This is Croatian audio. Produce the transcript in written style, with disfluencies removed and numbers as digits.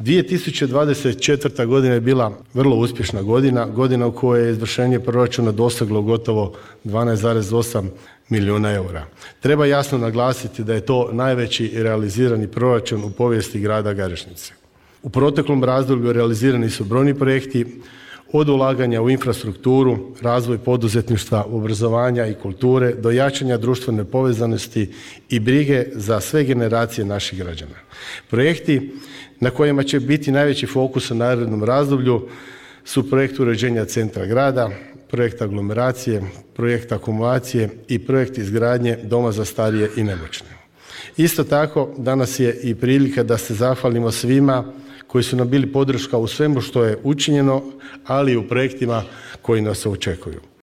2024. godina je bila vrlo uspješna godina, godina u kojoj je izvršenje proračuna doseglo gotovo 12,8 milijuna eura. Treba jasno naglasiti da je to najveći realizirani proračun u povijesti grada Garešnice. U proteklom razdoblju realizirani su brojni projekti, od ulaganja u infrastrukturu, razvoj poduzetništva, obrazovanja i kulture, do jačanja društvene povezanosti i brige za sve generacije naših građana. Projekti na kojima će biti najveći fokus u narednom razdoblju su projekt uređenja centra grada, projekt aglomeracije, projekt akumulacije i projekt izgradnje doma za starije i nemoćne. Isto tako, danas je i prilika da se zahvalimo svima koji su nam bili podrška u svemu što je učinjeno, ali i u projektima koji nas očekuju.